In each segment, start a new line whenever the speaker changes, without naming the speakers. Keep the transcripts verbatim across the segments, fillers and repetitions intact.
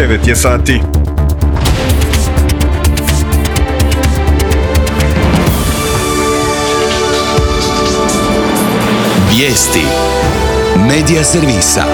devet je sati.
Vijesti Medija servisa.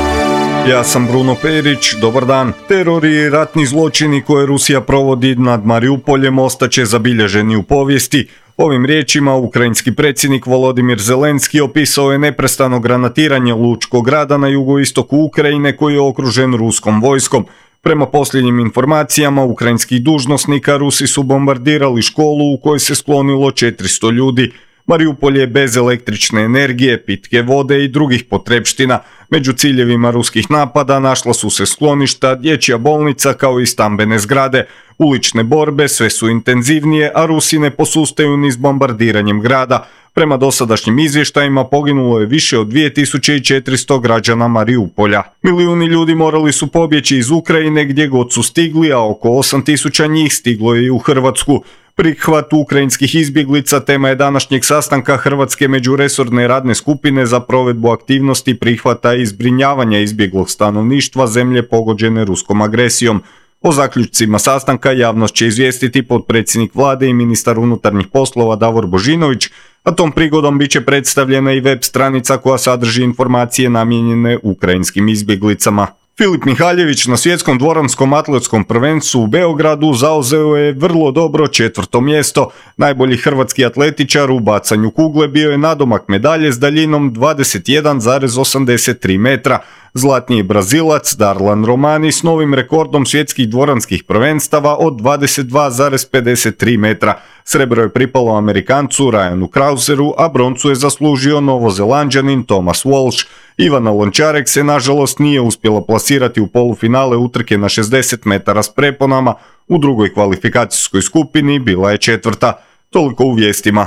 Ja sam Bruno Perić, dobar dan. Teror i ratni zločini koje Rusija provodi nad Mariupoljem ostaće zabilježeni u povijesti. Ovim riječima ukrajinski predsjednik Volodimir Zelenski opisao je neprestano granatiranje Lučkog grada na jugoistoku Ukrajine koji je okružen ruskom vojskom. Prema posljednjim informacijama ukrajinskih dužnosnika, Rusi su bombardirali školu u kojoj se sklonilo četiristo ljudi. Mariupol je bez električne energije, pitke vode i drugih potrepština. Među ciljevima ruskih napada našla su se skloništa, dječja bolnica kao i stambene zgrade. Ulične borbe sve su intenzivnije, a Rusi ne posustaju ni s bombardiranjem grada. Prema dosadašnjim izvještajima poginulo je više od dvije tisuće četiristo građana Mariupolja. Milijuni ljudi morali su pobjeći iz Ukrajine gdje god su stigli, a oko osam tisuća njih stiglo je i u Hrvatsku. Prihvat ukrajinskih izbjeglica tema je današnjeg sastanka Hrvatske međuresorne radne skupine za provedbu aktivnosti prihvata i zbrinjavanja izbjeglog stanovništva zemlje pogođene ruskom agresijom. O zaključcima sastanka javnost će izvijestiti potpredsjednik vlade i ministar unutarnjih poslova Davor Božinović, a tom prigodom bit će predstavljena i web stranica koja sadrži informacije namijenjene ukrajinskim izbjeglicama. Filip Mihaljević na svjetskom dvoranskom atletskom prvenstvu u Beogradu zauzeo je vrlo dobro četvrto mjesto. Najbolji hrvatski atletičar u bacanju kugle bio je nadomak medalje s daljinom dvadeset jedan zarez osamdeset tri metra. Zlatni je Brazilac Darlan Romani s novim rekordom svjetskih dvoranskih prvenstava od dvadeset dva zarez pedeset tri metra. Srebro je pripalo Amerikancu Ryanu Krauseru, a broncu je zaslužio Novozelanđanin Thomas Walsh. Ivana Lončarek se nažalost nije uspjela plasirati u polufinale utrke na šezdeset metara s preponama. U drugoj kvalifikacijskoj skupini bila je četvrta. Toliko u vijestima.